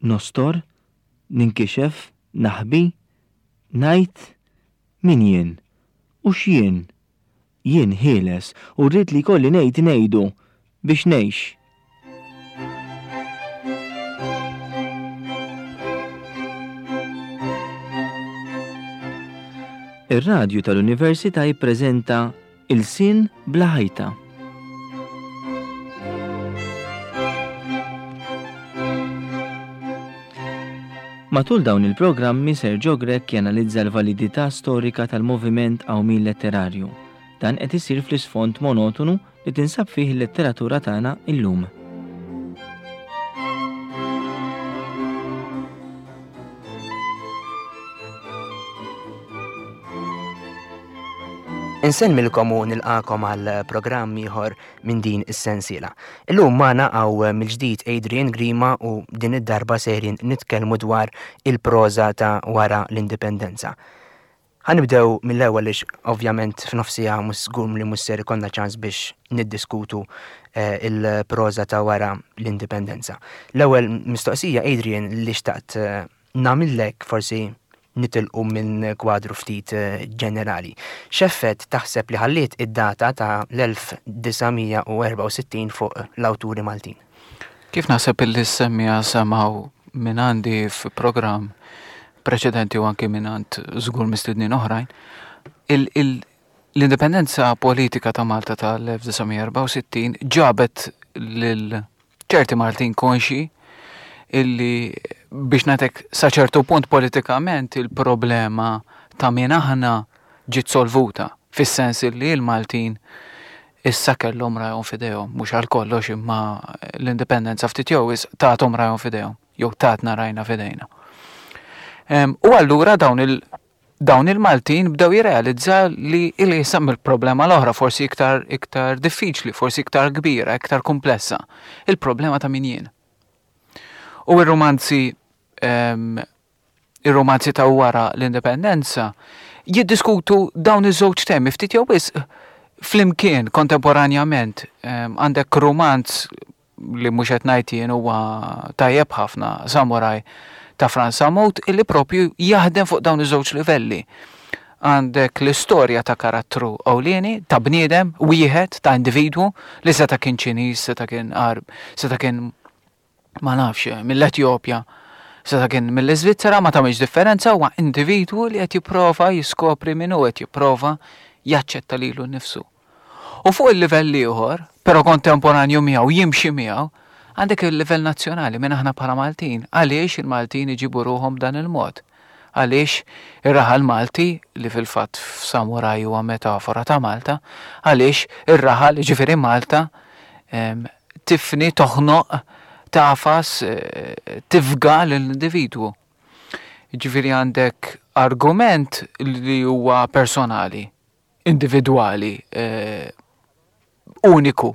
Nostor? Ninkixef? Naħbi? Ngħid? Min jien? U x'jien? Jien ħieles u rrid li jkolli ngħid ngħidu biex ngħix. Ir-radju tal-Università jippreżenta Ilsien bla ħajta. Matul dawn il-programmi Sergio Grech janalizza l-validità storika tal-moviment qawmien letterarju. Dan qed isir fl-isfond monotonu li tinsab fih il-letteratura tagħna illum. Insellmilkom u nilqakom għal programm ieħor minn din is-sensiela. Illum magħna hawn mill-ġdid Adrian Grima u din id-darba sejrin nitkellmu dwar il-proża ta' wara l-indipendenza. Ħa nibdew mill-ewwel għaliex ovvjament f'nofs siegħa mhux żgur li mhux ser ikollna ċans biex niddiskutu il-proża ta' wara l-indipendenza. L-ewwel mistoqsija Adrian li xtaqt nagħmillek forsi nitilqu minn kwadru ftit ġenerali. X'effett taħseb li ħalliet id-data ta' l-1964 fuq l-awturi Maltin? Kif naħseb illi s-semmiegħa semgħu minn għandi f'programm preċedenti u anki minn għand żgur mistednin oħrajn, l-indipendenza politika ta' Malta tal-1964 ġabet lil ċerti Maltin konxi illi biex ngħidlek sa ċertu punt politikament il-problema ta' min aħna ġiet solvuta fis-sens illi l-Maltin issa kellhom rajhom f'idejhom, mhux għal kollox imma l-indipendenza ftit jew wisq tathom rajhom f'idejhom, jew tatna rajna f'idejna. U allura dawn il dawn il-Maltin bdew jirrealizza li li jisam il-problema l-oħra forsi iktar iktar diffiċli, forsi iktar kbira, iktar komplessa, il-problema ta' min jien. U r-romanzi Ir-romanzi ta' wara l-indipendenza jiddiskutu dawn iż-żewġ temi ftit jew wisq flimkien kontemporanjament. Għandek romanz li mhux qed ngħid jien huwa tajjeb ħafna, Samurai ta' Frans Sammut, illi propju jaħdem fuq dawn iż-żewġ livelli. Għandek l-istorja ta' karattru ewlieni, ta' bniedem wieħed, ta' individwu li seta' kien Ċiniż, seta' kien Għarb, seta' kien ma nafx, mill-Etjopja, seta' kien mill-Iżvizzera, ma tagħmilx differenza, huwa individwu li qed jipprova jiskopri min hu, qed jipprova jaċċetta lilu nnifsu. U fuq il-livell ieħor, però kontemporanju miegħu, jimxi miegħu, għandek il-livell nazzjonali minn aħna bħala Maltin. Għaliex il-Maltin iġibu ruħhom b'dan il-mod? Għaliex ir-raħal Malti, li fil-fatt f'Samuraj huwa metafora ta' Malta, għaliex ir-raħal, jiġifieri Malta, tifni, toħnoq, tagħfas, tifga lill-individwu. Jiġifieri għandek argument li huwa personali, individwali, uniku.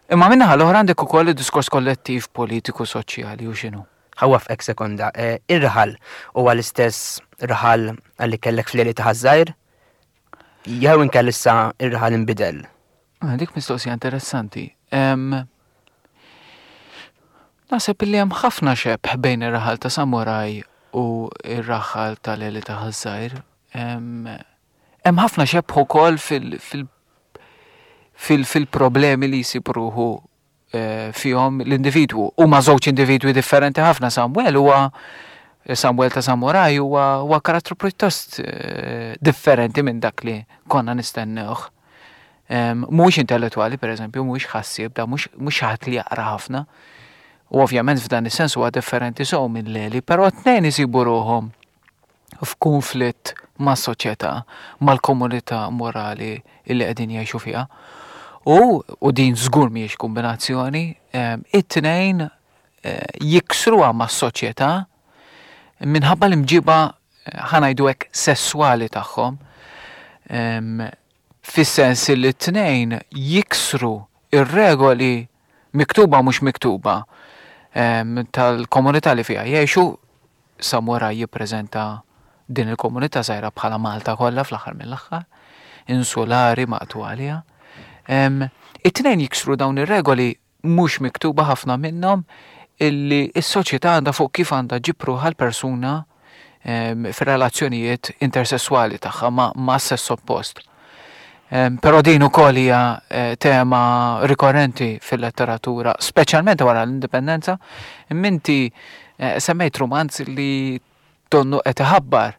Imma min-naħa l-oħra għandek ukoll id-diskors kollettiv politiku, soċjali u x'inhu. Ħa waffqek sekonda. Ir-raħal huwa l-istess raħal li kellek fl-għeli ta' Ħaż-Żgħir? Jew inkella issa ir-raħal inbidel? Ah, dik mistoqsija interessanti. Naħseb li hemm ħafna xebh bejn ir-raħal ta' Samuraj u r-raħal tal-Eli ta' Ħaż-Żgħir. Hemm ħafna xebh ukoll fil-problemi li jsib ruħu fihom l-individwu. Huma żewġ individwi differenti ħafna. Samuel huwa Samuel ta' Samuraj huwa huwa karattru pjuttost differenti minn dak li konna nistennewh. Mhuwiex intellettwali, pereżempju, mhuwiex ħassieb, da mhux mhux xi ħadd li jaqra ħafna. U ovvjament f'dan is-sens huwa differenti sew minn Leli, però t-tnejn isibu ruħhom f'kunflitt mas-soċjetà, mal-komunità morali li qegħdin jgħixu fiha. U, u din żgur mhijiex kombinazzjoni, it-tnejn jiksruha mas-soċjetà minħabba l-imġiba ħa ngħidu hekk sesswali tagħhom, fis-sens li t-tnejn jiksru ir-regoli miktuba u mhux miktuba tal-komunità li fiha jgħixu. Samuraj jippreżenta din il-komunità żgħira bħala Malta kollha fl-aħħar mill-aħħar, insulari maqtugħa għaliha. It-tnejn jiksru dawn ir-regoli mhux miktuba ħafna minnhom illi s-soċjetà għandha fuq kif għandha ġib ruħha l-persuna fir-relazzjonijiet intersesswali tagħha ma' sess oppost. Però din ukoll hija eh, tema rikorrenti fil-letteratura, speċjalment wara l-indipendenza. Minti eh, semmejt romanz li donnu qed iħabbar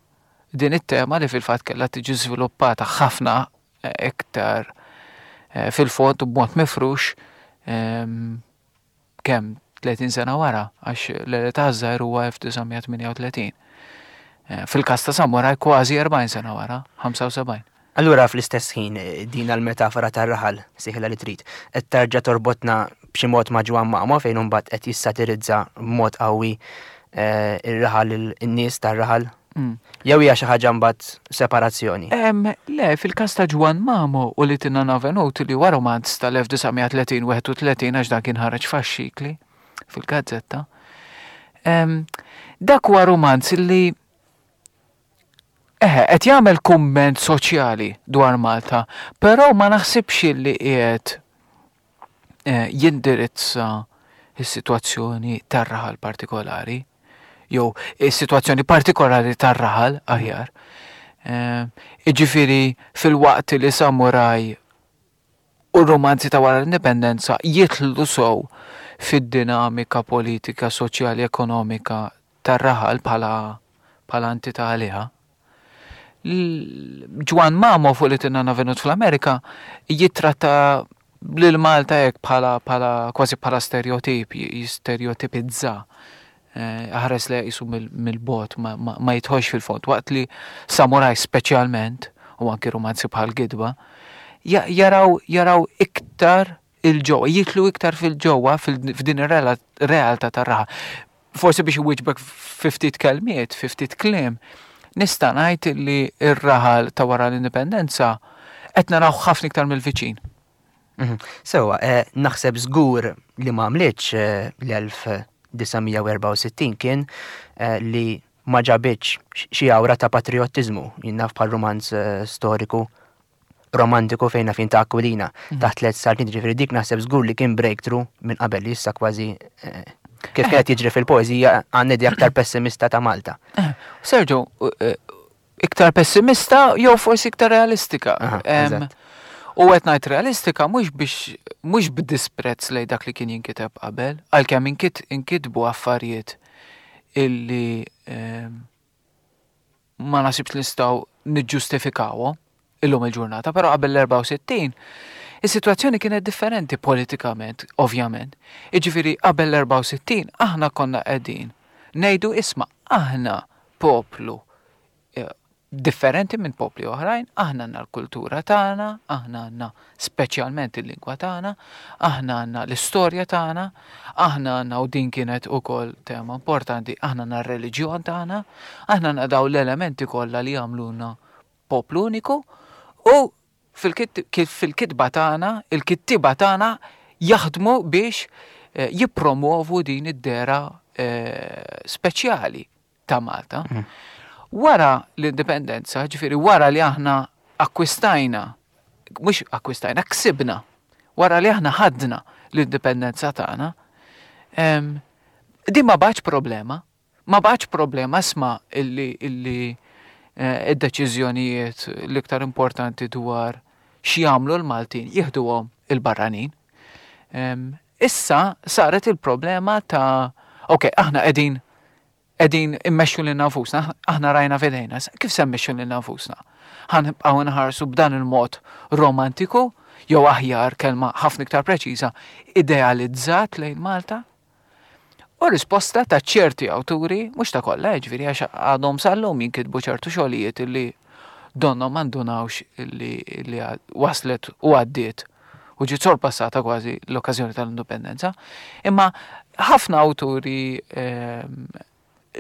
din it-tema li fil-fatt kellha tiġi żviluppata ħafna eh, iktar fil-fond u b'mod mifrux kemm 30 sena wara, għax l-età żgħir huwa 1938. Eh, fil-każ ta' Samurai kważi 40 sena wara, 75. Allura fl-istess ħin eh, din l-metafora tar-raħal siħla li trid qed terġa' torbotna b'xi mod ma' Ġwan Mamo fejn imbagħad qed jissatirizza b'mod qawwi eh, ir-raħal in-nies tar-raħal Jew hija xi ħaġa mbagħad separazzjoni? Le, fil-każ ta' Ġwann Mamo u li Tinna Venut li huwa romanz tal-1930-31 għax dan kien ħareġ faxxikli fil-gazzetta. Dak huwa romanz li eħe, qed jagħmel kumment soċjali dwar Malta, però ma naħsibx li qiegħed eh, jindirizza s-sitwazzjoni tar-raħal partikolari, jew is-sitwazzjoni partikolari tar-raħal aħjar. Eh, iġifieri fil-waqt li samuraj u romanzi ta' wara l-indipendenza jitlu sow fid-dinamika politika, soċjali, ekonomika tar-raħal bħala bħala entità għaliha. Ġwan Mamo fuq li tinna venut fl-Amerika jittratta lil Malta hekk bħala bħala kważi bħala stereotip, jistereotipizza. Eh, ħares le jisu mill-bot ma jitħox fil-fond. Waqt li samuraj speċjalment, u anki romanzi bħal gidba, jaraw jaraw iktar il-ġewwa, jitlu iktar fil-ġewwa f'din ir-realtà tar-raħa. Forsi biex iwieġbek fi ftit kelmiet, fi ftit kliem, nista' ngħid li r-raħal ta' wara l-indipendenza qed naraw ħafna iktar mill-viċin. Mhm. Sewwa, eh, naħseb żgur li ma għamlitx eh, l-1964 kien eh, li ma ġabitx xi awra ta' patriottiżmu, jien naf bħal romanz storiku romantiku fejn naf ta' Aquilina mhm. taħt tliet saltniet ġifieri dik naħseb żgur li kien breakthrough minn qabel li issa kważi eh, kif eh. qed jiġri fil-poeżija għandna idea aktar pessimista ta' Malta. Eh, Sergio, iktar pessimista jew forsi iktar realistika. U qed ngħid realistika mhux biex mhux b'disprezz lej dak li kien jinkiteb qabel, għalkemm inkitbu affarijiet illi ma nasibx li nistgħu niġġustifikawhom illum il-ġurnata, però qabel l-64 is-sitwazzjoni kienet differenti politikament, ovvjament. Jiġifieri qabel l-64 aħna konna qegħdin ngħidu isma' aħna poplu eh, differenti minn popli oħrajn, aħna għandna l-kultura tagħna, aħna għandna speċjalment il-lingwa tagħna, aħna għandna l-istorja tagħna, aħna għandna u din kienet ukoll tema importanti, aħna għandna r-reliġjon tagħna, aħna għandna daw l-elementi kollha li jagħmluna poplu uniku u fil-kitba tagħna, il-kittiba tagħna jaħdmu biex eh, jippromovu din id-dera eh, speċjali ta' Malta. Mm. Wara l-indipendenza, ġifieri wara li aħna akkwistajna, mhux akkwistajna, ksibna, wara li aħna ħadna l-indipendenza tagħna, din ma baċ problema, ma baċ problema sma illi illi eh, id-deċiżjonijiet l-iktar importanti dwar x'jagħmlu l-Maltin jieħduhom il-barranin. Issa saret il-problema ta' ok, aħna qegħdin qegħdin immexxu lilna nfusna, aħna rajna f'idejna, kif se mmexxu lilna nfusna? Ħa nibqgħu nħarsu b'dan il-mod romantiku, jew aħjar kelma ħafna iktar preċiża, idealizzat lejn Malta? U risposta ta' ċerti awturi, mhux ta' kollha, jiġifieri għax għadhom sal-lum jinkitbu ċertu xogħlijiet li donnhom ma ndunawx li, li waslet u għaddiet u ġiet sorpassata kważi l-okkażjoni tal-indipendenza. Imma ħafna awturi ehm,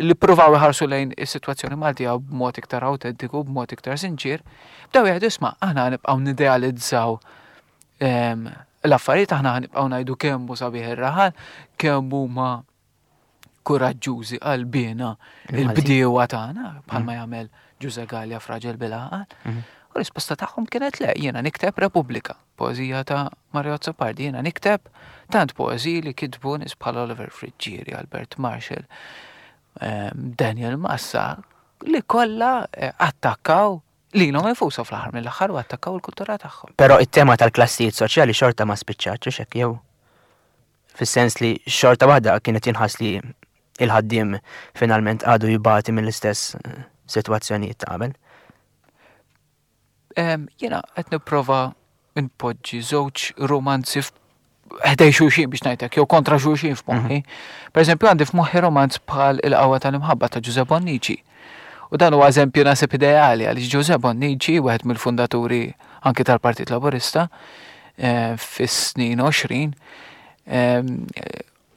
li provaw iħarsu lejn is-sitwazzjoni Maltija b'mod iktar autentiku, b'mod iktar sinċir, bdew jgħidu isma' aħna nibqgħu nidealizzaw ehm, l-affarijiet aħna nibqgħu ngħidu kemm hu sabiħ ir-raħal, kemm huma kuraġġużi qalbiena il-bdiewa tagħna bħalma mm. jagħmel Ġuże Gallia f'Raġel bil-għaqal. Mm. U risposta tagħhom kienet le, jiena nikteb Repubblika, poeżija ta' Mario Azzopardi, jiena nikteb tant poeżiji li kitbu nies bħal Oliver Friggieri, Albert Marshall, ehm, Daniel Massa, li kollha eh, attakkaw lilhom infushom fl-aħħar mill-aħħar u attakkaw il-kultura tagħhom. Però it-tema tal-klassijiet soċjali xorta ma spiċċatx hekk jew fis-sens li xorta waħda kienet jinħass li il-ħaddiem finalment għadu jibati mill-istess eh, sitwazzjonijiet ta' qabel. Jiena qed nipprova npoġġi żewġ romanzi ħdej xulxin biex ngħidlek, jew kontra xulxin f'moħħi. Mhm. Per eżempju għandi f'moħħi romanz bħal Il-Qawwa tal-Imħabba ta' Ġuże Bonnici. U dan huwa eżempju nasib ideali għaliex Ġuże Bonnici, wieħed mill-fundaturi anki tal-Partit Laburista, eh, fis-snin 20, eh,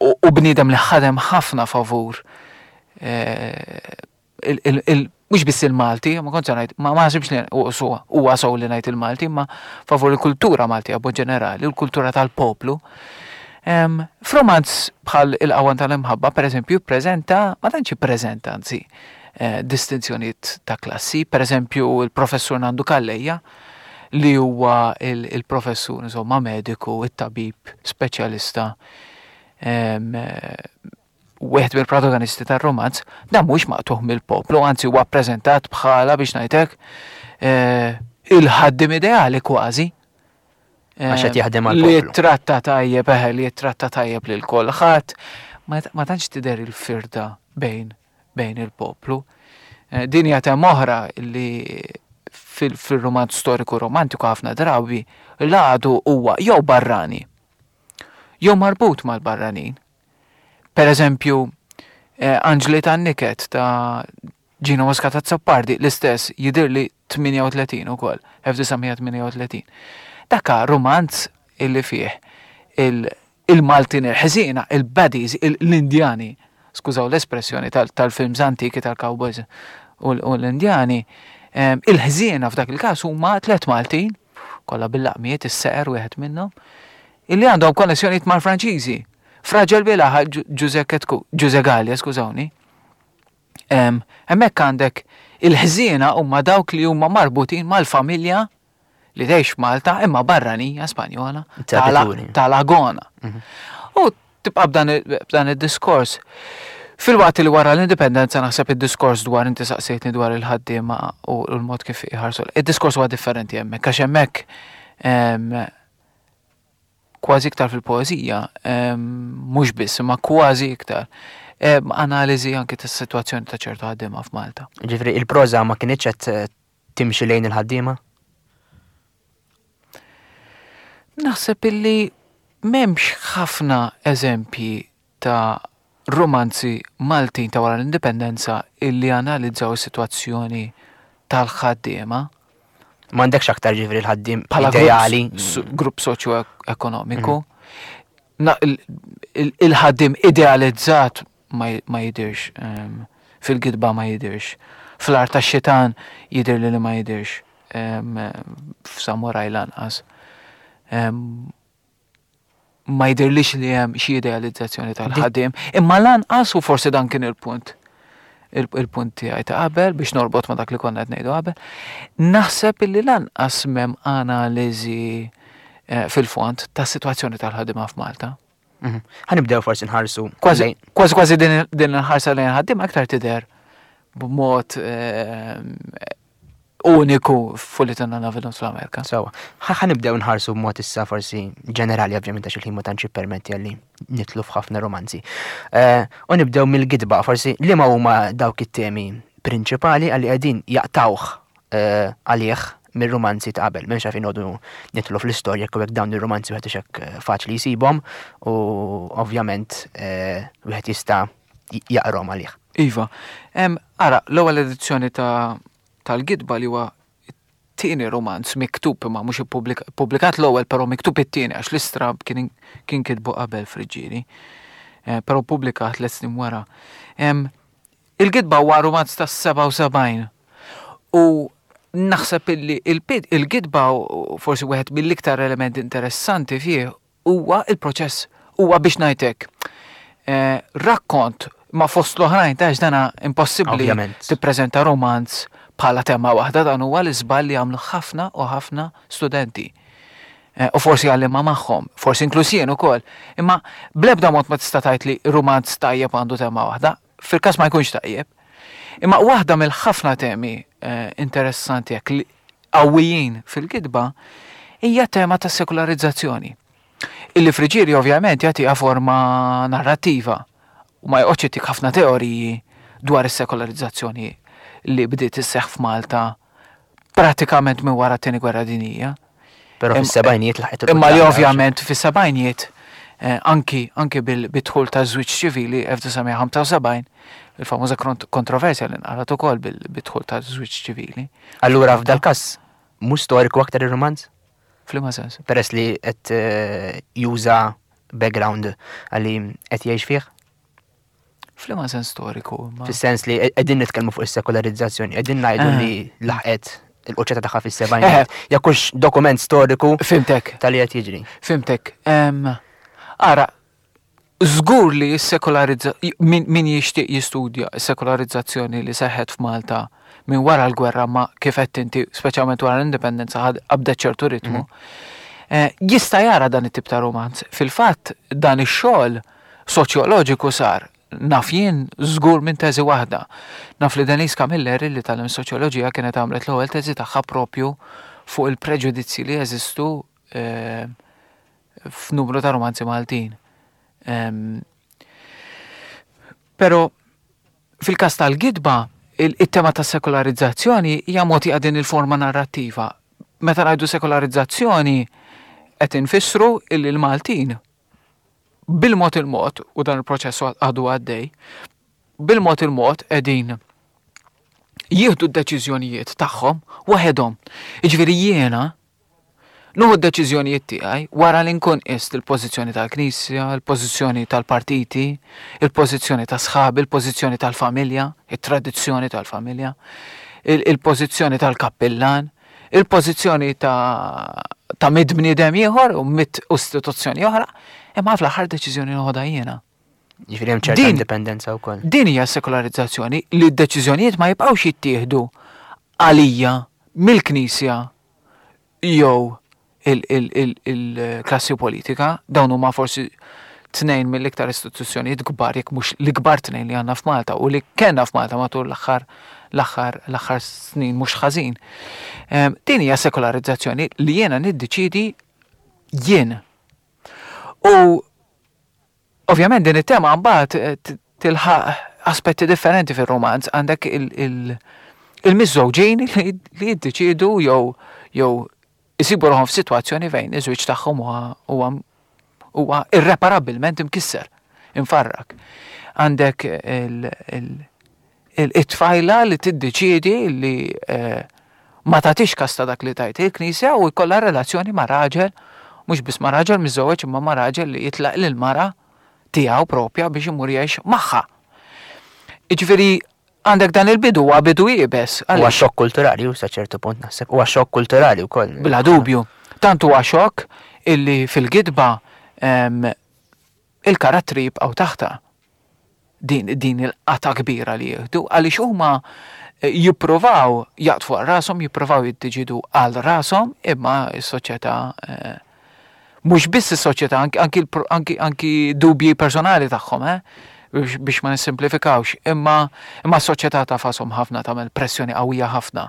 u bniedem li ħadem ħafna favur eh, mhux biss il-Malti, ma kontx ngħid, ma naħsibx li huwa sew li ngħid il-Malti, imma favur il-kultura Maltija b'mod ġenerali, il-kultura tal-poplu. F'romanz bħal Il-Qawwa tal-Imħabba, pereżempju, jippreżenta, ma tantx jippreżenta anzi, eh, distinzjonijiet ta' klassi, pereżempju il-professur Nandu Calleja, li huwa il-professur insomma mediku, it-tabib, speċjalista wieħed mill-protagonisti tar-romanz, dan mhuwiex maqtugħ mill-poplu, anzi huwa ppreżentat bħala biex ngħidlek eh, il-ħaddim ideali kważi. Għax qed jaħdem għall Li jittratta tajjeb, eħe, li jittratta tajjeb lil kulħadd. Ma tantx tidher il-firda bejn bejn il-poplu. Eh, din hija tema oħra li fil-romanz storiku romantiku ħafna drabi l-għadu huwa jew barrani jew marbut mal-barranin. Per eżempju, eh, Anġli tan-Niket ta' Gino Muscat Azzopardi, l-istess jidhirli 38 ukoll, 1938. Dakka romanz illi fih il-Maltin il-ħżiena, il-baddies, l-Indjani, skużaw l-espressjoni tal-films antiki tal-cowboys u l-Indjani, eh, il-ħżiena f'dak il-każ huma tlet Maltin, kollha bil-laqmiet, is-seqer wieħed minnhom, illi għandhom konnessjonijiet mal-Franċiżi. Fraġel Bilaħa Ġuże Ketku, Ġuże Gallia, skużawni. Hemmhekk għandek il-ħżiena huma dawk li huma marbutin mal-familja li tgħix Malta imma barranija Spanjola tal-Agona. Mhm. U tibqa' b'dan id-diskors. Filwaqt li wara l-indipendenza naħseb id-diskors dwar inti saqsejtni dwar il-ħaddiema u l-mod kif iħarsu. Id-diskors huwa differenti hemmhekk għax hemmhekk kważi iktar fil-poeżija, mhux biss, imma kważi iktar, analiżi anki tas-sitwazzjoni ta' ċertu ħaddiema f'Malta. Ġifieri il-proża ma kinitx qed timxi lejn il-ħaddiema? Naħseb illi m'hemmx ħafna eżempji ta' rumanzi Maltin ta' wara l-Indipendenza illi analizzaw is-sitwazzjoni tal-ħaddiema. M'għandekx aktar ġifieri l-ħaddiem ideali. Grupp soċjo-ekonomiku. Mhm. Il-ħaddiem idealizzat ma jidirx ehm, fil-gidba ma jidirx. Fl-art tax-xitan jidir li ma jidirx ehm, f'samuraj lanqas. Ehm, ma jidhirlix li hemm xi idealizzazzjoni tal-ħaddiem, imma lanqas u forsi dan kien il-punt il-punt tiegħi ta' qabel biex norbot ma' dak li konna qed ngħidu qabel, naħseb illi lanqas m'hemm analiżi eh, fil-fond tas-sitwazzjoni tal-ħaddiema f'Malta. Mhm. Ħanibdew forsi nħarsu. Kważi kważi din il-ħarsa lejn ħaddiema aktar tidher b'mod eh, uniku f'Fulliton and Avalon fl-Amerika. Sawa. Ħa nibdew nħarsu b'mod issa forsi ġenerali ovvjament għax il-ħin ma tantx jippermetti għalli nitlu f'ħafna romanzi. Eh, u nibdew mill-gidba forsi li ma huma dawk it-temi prinċipali għalli qegħdin jaqtawh eh, għalih mir-romanzi ta' qabel. M'hemmx għalfejn noqogħdu nidħlu fl-istorja jekk dawn ir-romanzi wieħed hekk eh, faċli jsibhom u ovvjament wieħed jista' jaqrom għalih. Iva. Ara, l-ewwel edizzjoni ta' tal-gidba li huwa tieni romanz miktub imma mhux ippubblikat l-ewwel però miktub it-tieni għax l-istrab kien kien kitbu qabel Friġġieri. Eh, però ppubblikat tliet snin wara. Il-gidba huwa romanz tas-77 u naħseb illi il-gidba forsi wieħed mill-iktar elementi interessanti fih huwa il-proċess, huwa biex ngħid hekk, eh, rakkont ma fost l-oħrajn ta' dana impossibbli tippreżenta romanz. bħala tema waħda dan huwa l-iżball li jagħmlu ħafna u ħafna studenti. Eh, u forsi għallima magħhom, forsi inkluż jien ukoll. Imma bl-ebda mod ma tista' tgħid li rumanz tajjeb għandu tema waħda, fil-każ ma jkunx tajjeb. Imma waħda mill-ħafna temi eh, interessanti jekk li qawwijin fil-kitba hija tema ta' sekularizzazzjoni. Illi Friġieri ovvjament jagħtiha forma narrattiva u ma joqgħodx jtik ħafna teoriji dwar is-sekolarizzazzjoni li bdiet isseħħ f'Malta pratikament minn wara t-Tieni Gwerra Dinjija. Però fis-sebgħinijiet laħqet Imma li ovvjament fis-sebgħinijiet eh, anki anki bil-dħul ta' żwieġ ċivili 1975, il-famuża kontroversja li nqarat ukoll bil-dħul ta' żwieġ ċivili. Allura f'dal każ mhux storiku aktar ir-rumanz? F'liema sens? Peress li qed eh, juża background għalli qed jgħix fih? F'liema sens storiku? Fis-sens li qegħdin nitkellmu fuq is-sekolarizzazzjoni, qegħdin ngħidu eh. li laħqet il-quċċata tagħha fis-sebgħin. Eh. Jekk hux dokument storiku. Fimtek. Tal-li qed jiġri. Fimtek. Ara, żgur li s-sekolarizza min jixtieq jistudja s-sekolarizzazzjoni li seħħet f'Malta minn wara l-gwerra ma kif qed inti speċjalment wara l-indipendenza qabdet ċertu ritmu. Mhm. Eh, jista' jara dan it-tip ta' romanz. Fil-fatt dan ix-xogħol soċjoloġiku sar naf jien żgur minn teżi waħda. Naf li Denise Camilleri li tagħlem soċjoloġija kienet għamlet l-ewwel teżi tagħha propju fuq il-preġudizzji li jeżistu eh, f'numru ta' romanzi Maltin. Pero fil-każ tal-gidba, il-tema ta' sekolarizzazzjoni hija mogħtija din il-forma narrattiva. Meta ngħidu sekolarizzazzjoni qed infissru illi l-Maltin bil-mod il-mod, u dan il-proċess għadu għaddej, bil-mod il-mod qegħdin jieħdu d-deċiżjonijiet tagħhom waħedhom. Jiġifieri jiena Nieħu d-deċiżjonijiet tiegħi wara li nkun qist il-pożizzjoni tal-Knisja, il-pożizzjoni tal-partiti, il-pożizzjoni ta' sħabi, il-pożizzjoni tal-familja, it-tradizzjoni tal-familja, il-pożizzjoni tal-kappillan, il-pożizzjoni ta' ta' mid bniedem ieħor u mid istituzzjoni oħra, imma fl-aħħar deċiżjoni noħodha jiena. Jiġifieri hemm ċerta indipendenza wkoll. Din hija sekolarizzazzjoni li d-deċiżjonijiet ma jibqgħux jittieħdu għalija mill-Knisja jew il-klassi politika, dawn huma forsi tnejn mill-iktar istituzzjonijiet kbar, jekk mhux l-ikbar tnejn li għandna f'Malta u li kellna f'Malta matul l-aħħar l-aħħar l-aħħar snin mhux ħażin. Ehm, din hija sekolarizzazzjoni li jiena niddeċidi jien. U Ovvjament din it-tema mbagħad eh, tilħaq aspetti differenti fir-romanz, għandek il-miżżewġin li jiddeċiedu jew jew isibu ruħhom f'sitwazzjoni fejn iż-żwieġ tagħhom huwa huwa irreparabbilment imkisser, imfarrak. Għandek it-tfajla li tiddeċiedi li eh, ma tagħtix kas ta' dak li tgħid il-Knisja u jkollha relazzjoni ma' raġel, mhux biss ma' raġel miżżewweġ imma ma' raġel li jitlaq lil mara tiegħu propja biex imur jgħix magħha. Jiġifieri għandek dan il-bidu huwa bidu iebes. Huwa xokk kulturali u sa ċertu punt naħseb, huwa xokk kulturali wkoll. Bla dubju. Tant huwa xokk illi fil-gidba il-karattri jibqgħu taħtha din, din il-qata kbira li jieħdu għaliex huma eh, jippruvaw jaqtfu għal rashom, jippruvaw jiddeċidu għal rashom, imma s-soċjetà eh, mhux biss is-soċjetà, anki, anki, anki dubji personali tagħhom, eh, biex ma nissimplifikawx, imma imma s-soċjetà tafasom ħafna tagħmel pressjoni qawwija ħafna.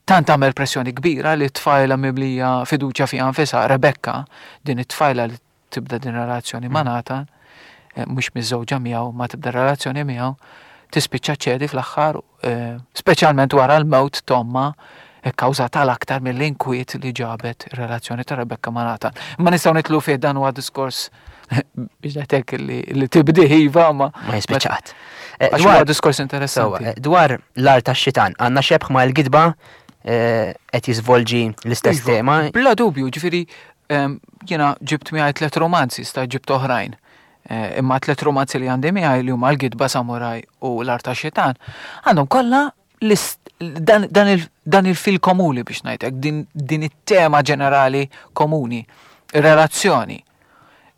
Tant tagħmel pressjoni kbira li t-tfajla mimlija fiduċja fiha nfisha, Rebecca, din it-tfajla li tibda din relazzjoni ma' Nathan, eh, mhux miżżewġa miegħu, ma tibda relazzjoni miegħu, tispiċċa ċedi fl-aħħar, eh, speċjalment wara l-mewt t'ommha kkawżata l-aktar mill-inkwiet li ġabet ir-relazzjoni ta' Rebecca ma' Nathan. Ma nistgħu nitlu fih dan huwa diskors biex ngħidlek li tibdih iva ma. Ma jispiċċat. Eh, dwar diskors interessanti. Dwar l-art tax-xitan, għandna xebħ ma' l-gidba qed jiżvolġi l-istess iva, tema. Bla dubju, ġifieri Jiena ġibt miegħi tlet romanzi, sta ġibt oħrajn. Eh, imma tlet romanzi li għandi miegħi li huma l-Gidba Samuraj u l-Art tax-Xitan, għandhom kollha dan il-fil komuni biex ngħidlek, din it-tema ġenerali komuni, relazzjoni.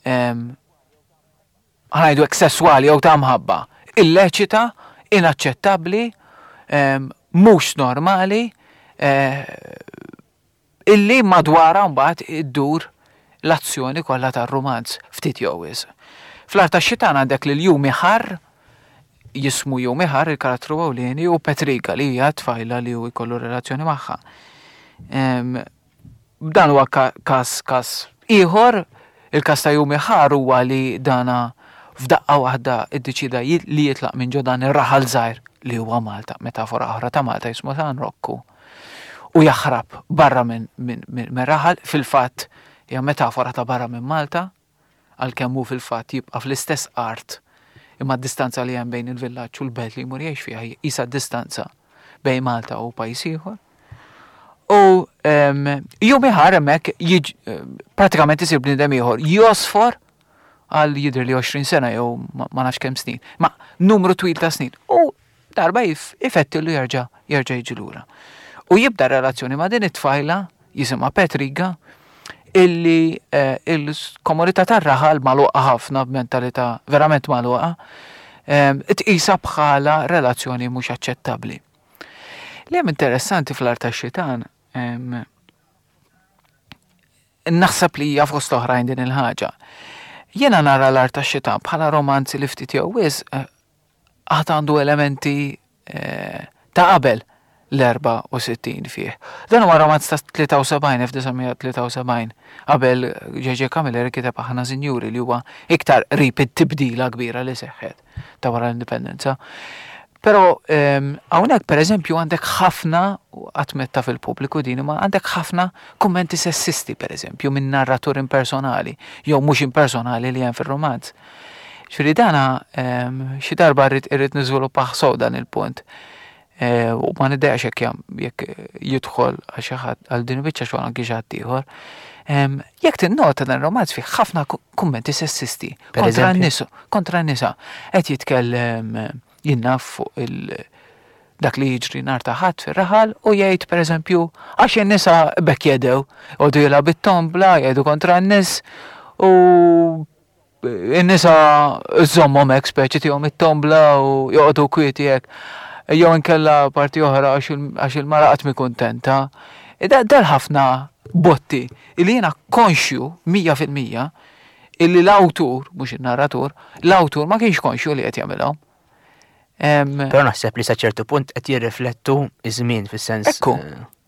Ħa ngħidu hekk sesswali jew ta' mħabba, illeċita, inaċċettabbli. mhux normali eh, illi madwarha mbagħad iddur l-azzjoni kollha tar-rumanz ftit jew wisq. Fl-Art tax-Xitan għandek lil Jumi Ħarr, jismu Jumi Ħarr il-karattru ewlieni u Petriga li hija tfajla li hu jkollu relazzjoni magħha. Dan huwa każ każ ieħor, il-każ ta' Jumi Ħarr huwa li dana f'daqqa waħda iddeċieda li jitlaq minn ġo dan ir-raħal żgħir li huwa Malta, metafora oħra ta' Malta jismu San Rokku. U jaħrab barra minn min, min, min raħal, fil-fatt hija metafora ta' barra minn Malta, għalkemm hu fil-fatt jibqa' fl-istess art imma d-distanza li hemm bejn il-villaġġ u l-belt li jmur jgħix fiha qisha d-distanza bejn Malta u pajjiż ieħor. U jum ieħor hemmhekk pratikament isir bniedem ieħor, josfor għal jidher li 20 sena jew ma nafx kemm snin, ma numru twil ta' snin. U darba ifettillu jerġa' jerġa' jiġi lura. U jibda relazzjoni ma' din it-tfajla jisimha Petriga illi eh, il-komunità tar-raħal magħluqa ħafna b'mentalità verament magħluqa eh, tqisha bħala relazzjoni mhux aċċettabbli. Li hemm interessanti fl-art tax-xitan Naħseb li hija fost oħrajn din il-ħaġa. Jiena nara l-Art tax-Xitan bħala romanz li ftit jew wisq eh, għad għandu elementi eh, ta' qabel l-64 fih. Dan huwa romanz ta' 73, 1973, qabel J.J. Camilleri kiteb Aħna Sinjuri li huwa iktar qrib it-tibdila kbira li seħħet ta' wara l-indipendenza. Però ehm, hawnhekk pereżempju għandek ħafna qatt metta fil-pubbliku din imma għandek ħafna kummenti sessisti pereżempju minn narratur impersonali jew mhux impersonali li hemm fir-romanz. Ġifieri dana ehm, xi darba rrid irrid niżviluppah sew dan il-punt. Eh, u ma niddejaqx jekk jekk jidħol għal xi ħadd għal din il-biċċa xogħol anki xi ħadd ieħor. Ehm, jekk tinnota dan ir-romanz fih ħafna kummenti sessisti kontra n-nisa, kontra n-nisa. Qed jitkellem jien naf fuq il dak li jiġri nhar ta' Ħadd fir-raħal u jgħid pereżempju għax in-nisa b'hekk jedew, jqogħdu jilgħab it-tombla, jgħidu kontra n-nies u n-nisa żommhom hekk speċi tihom it-tombla u joqogħdu kwieti hekk. Jew inkella parti oħra għax il-mara qatt mi kuntenta. Dal ħafna botti li jiena konxju 100% illi l-awtur, mhux in-narratur, l-awtur ma kienx konxju li qed jagħmilhom. Però naħseb li sa ċertu punt qed jirriflettu iż-żmien fis-sens. Ekku.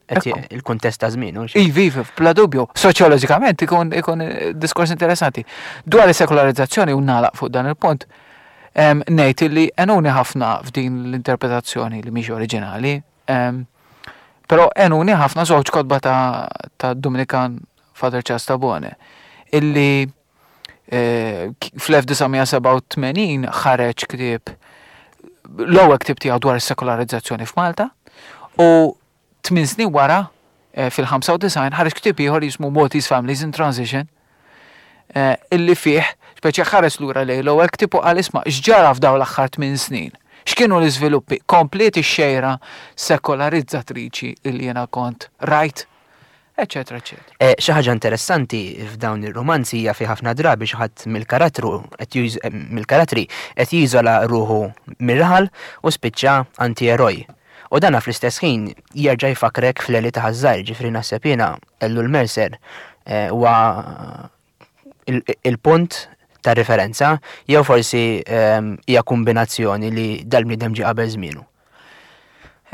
Eh, il-kuntest ta' żmien. Ivi, ivi, bla dubju. Soċjoloġikament ikun ikun eh, diskors interessanti. Dwar is-sekolarizzazzjoni u nagħlaq fuq dan il-punt, ngħid li enuni ħafna f'din l-interpretazzjoni li mhix oriġinali, Però għenuni ħafna żewġ kotba ta', ta Dominikan Father Charles Tabone illi eh, fl-1987 ħareġ ktieb l-ewwel ktieb tiegħu dwar is-sekolarizzazzjoni f'Malta u tmien snin wara eh, fil-95 ħareġ ktieb ieħor jismu Maltese Families in Transition eh, illi fih speċi ħares lura lejn l-ewwel ktieb u qal isma' x'ġara f'dawn l-aħħar tmien snin. X'kienu l-iżviluppi? Kompliet ix-xejra sekolarizzatriċi illi jiena kont rajt, eċetera, eċetera. Eh, xi ħaġa interessanti f'dawn ir-romanzi hija fi ħafna drabi xi ħadd mill-karattru eh, mill-karattri qed jiżola ruħu mir-raħal u spiċċa anti-eroj. U dana fl-istess ħin jerġa' jfakkrek fl-Eli ta' Ħaż-Żgħir, ġifieri naħseb jiena Ellul Mercer eh, huwa il-punt ta' referenza jew forsi ehm, hija kombinazzjoni li dal-bniedem ġie qabel żmienu.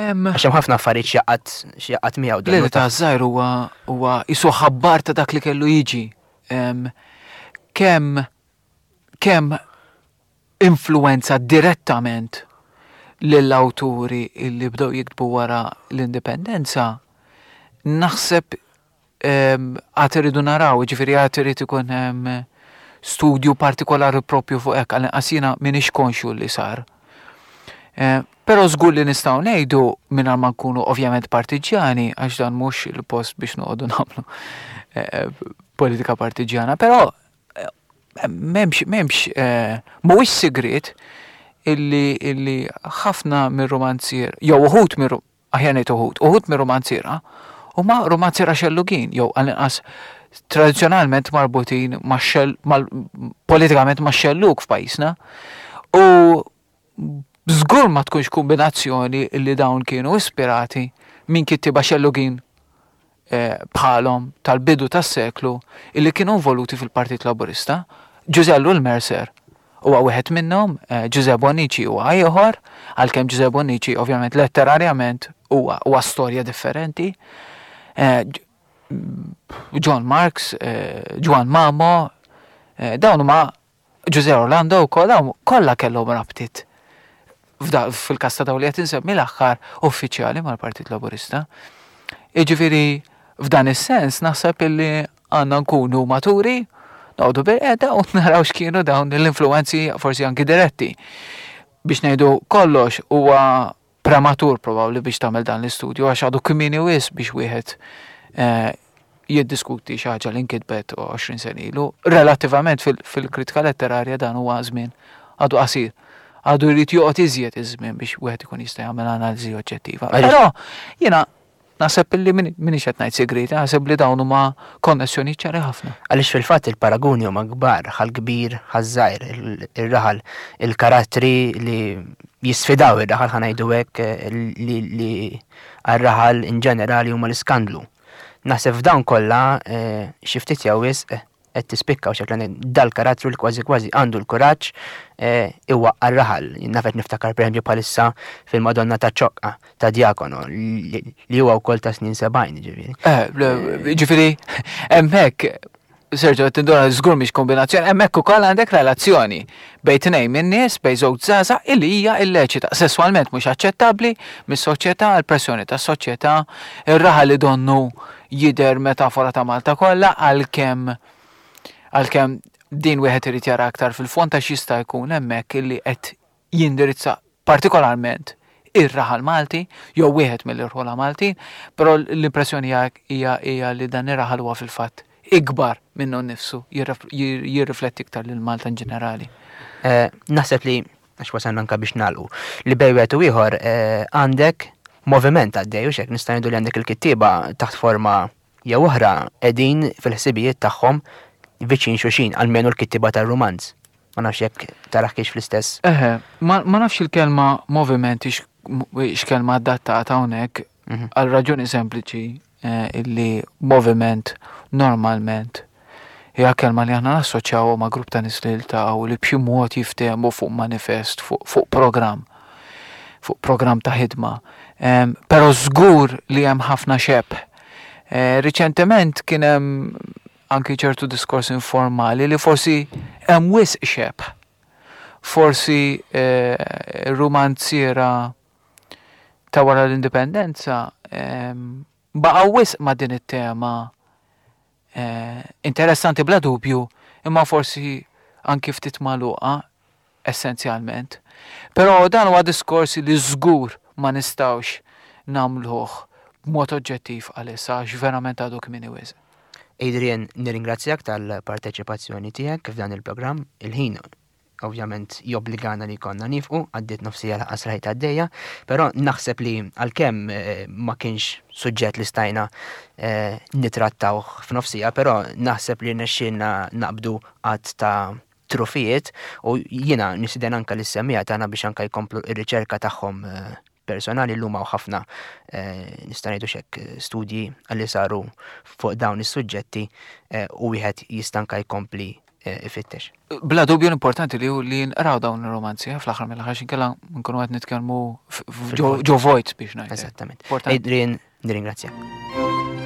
Għax hemm ħafna affarijiet x'jaqgħad x'jaqgħad miegħu. L-Eli ta' Żgħir huwa huwa jisu ħabbar ta' dak li kellu jiġi. Kemm kemm influwenza direttament lill-awturi li bdew jiktbu wara l-indipendenza, naħseb ehm, għad irridu naraw, ġifieri għad irid ikun hemm studju partikolari propju fuq hekk, għal jiena m'iniex konxju li sar. Eh, però żgur li nistgħu ngħidu mingħajr ma nkunu ovvjament partiġjani għax dan mhux il-post biex noqogħdu nagħmlu eh, politika partiġjana, però M'hemmx, m'hemmx, mhuwiex sigriet illi, illi ħafna mir-rumanzier, jew uħud mir, aħjar ngħid uħud, uħud mir-rumanziera huma rumanziera xellugin, jew għall-inqas tradizzjonalment marbutin max-xell, mal, politikament max-xellug f'pajjiżna. U Żgur ma tkunx kombinazzjoni li dawn kienu ispirati minn kittieba xellugin eh, bħalhom tal-bidu tas-seklu illi kienu involuti fil-Partit Laburista. Ġużè Ellul Mercer huwa wieħed minnhom, eh, Ġużè Bonnici huwa ieħor, għalkemm Ġużè Bonnici ovvjament letterarjament huwa huwa storja differenti. Eh, John Marks, Ġwann Mamo, dawn huma Ġużè Orlando wkoll dawn kollha kellhom rabtiet fil-każ ta' dawn li qed insemmi l-aħħar uffiċjali mal-Partit Laburista. Jiġifieri f'dan is-sens naħseb illi għandna nkunu maturi, noqogħdu bilqiegħda u naraw x'kienu dawn l-influwenzi forsi anki diretti. Biex ngħidu kollox huwa prematur probabbli biex tagħmel dan l-istudju għax għadu kmieni wisq biex wieħed eh, jiddiskuti xi ħaġa li nkitbet 20 sena ilu. Relattivament fil-kritika letterarja dan huwa żmien għadu qasir. Għadu jrid joqgħod iżjed iż-żmien biex wieħed ikun jista' jagħmel analiżi oġġettiva. Però jiena Naħseb illi m'iniex qed ngħid sigrieti, naħseb li dawn huma konnessjonijiet ċari ħafna. Għaliex fil-fatt il-paraguni huma kbar, ħal-kbir, ħaż-żgħir, ir-raħal, il-karattri li jisfidaw ir-raħal ħa ngħidu hekk li għar-raħal in ġenerali huma l-iskandlu. Naħseb f'dawn kollha xi ftit jew wisq qed tispikka u xekla dal-karattru li kważi kważi għandu l-kuraġġ eh, iwaqqa' r-raħal. Naf qed niftakar pereżempju bħalissa fil-Madonna ta' Ċoqqa ta' Diakono li huwa wkoll ta' snin 70 ġifieri. Eh, ġifieri hemmhekk Sergio, qed tinduna żgur mhix kombinazzjoni, hemmhekk ukoll għandek relazzjoni bejn tnejn minn nies, bejn żewġ żgħażagħ illi hija illeċita, sesswalment mhux aċċettabbli mis-soċjetà, il-pressjoni tas-soċjetà, ir-raħal li donnu jidher metafora ta' Malta kollha għalkemm għalkemm din wieħed irid jara aktar fil-fond għax jista' jkun hemmhekk illi qed jindirizza partikolarment ir-raħal Malti jew wieħed mill-irħula Maltin, però l-impressjoni hija hija li dan ir-raħal huwa fil-fatt ikbar minnu nnifsu, jirrifletti iktar lil Malta in ġenerali. Eh, naħseb li għax wasalna anka biex nagħlqu, li bejn wieħed u ieħor eh, għandek moviment għaddej u xek nista' ngħidu li għandek il-kittieba taħt forma jew oħra qegħdin fil-ħsibijiet tagħhom viċin xulxin, almenu l-kittieba tar-rumanz. Ma nafx jekk taraħ kiex fl-istess. Eħe, ma nafx il-kelma moviment x'kelma adattata hawnhekk mhm. għal raġuni sempliċi eh, illi moviment normalment Hija kelma li aħna nassoċjawha ma' grupp ta' nies li jiltaqgħu li b'xi mod jiftehmu fuq manifest, fuq programm, fuq programm ta' ħidma. Però żgur li hemm ħafna xebh. Eh, riċentement kien hemm anki ċertu diskors informali li forsi hemm wisq xebh. Forsi eh, rumanziera ta' wara l-indipendenza baqgħu wisq ma' din it-tema Interessanti bla dubju, imma forsi anki ftit magħluqa essenzjalment. Però dan huwa diskors li żgur ma nistgħux nagħmluh b'mod oġġettiv għalissa għax verament għadu kmieni wisq. Adrian, nirringrazzjak tal-parteċipazzjoni tiegħek f'dan il-programm. Il-ħin ovvjament jobbligana li jkollna nifqu, għaddiet nofsija laqas rajt għaddejja, però naħseb li għalkemm eh, ma kienx suġġett li stajna eh, nitrattawh f'nofsija, però naħseb li rnexxielna naqbdu għadd ta' trufijiet u jiena nisiden anka lis-semmiegħa tagħna biex anka jkomplu r-riċerka tagħhom eh, personali llum hawn ħafna eh, nista' ngħidu xek studji li saru fuq dawn is-suġġetti eh, u wieħed jista' anka jkompli eh, ifittex. Bla dubju l-importanti li li nqraw dawn ir-romanzi fl-aħħar mill-aħħar x'inkella nkunu qed nitkellmu ġo vojt biex ngħid. Eżattament. Adrian, nirringrazzjak.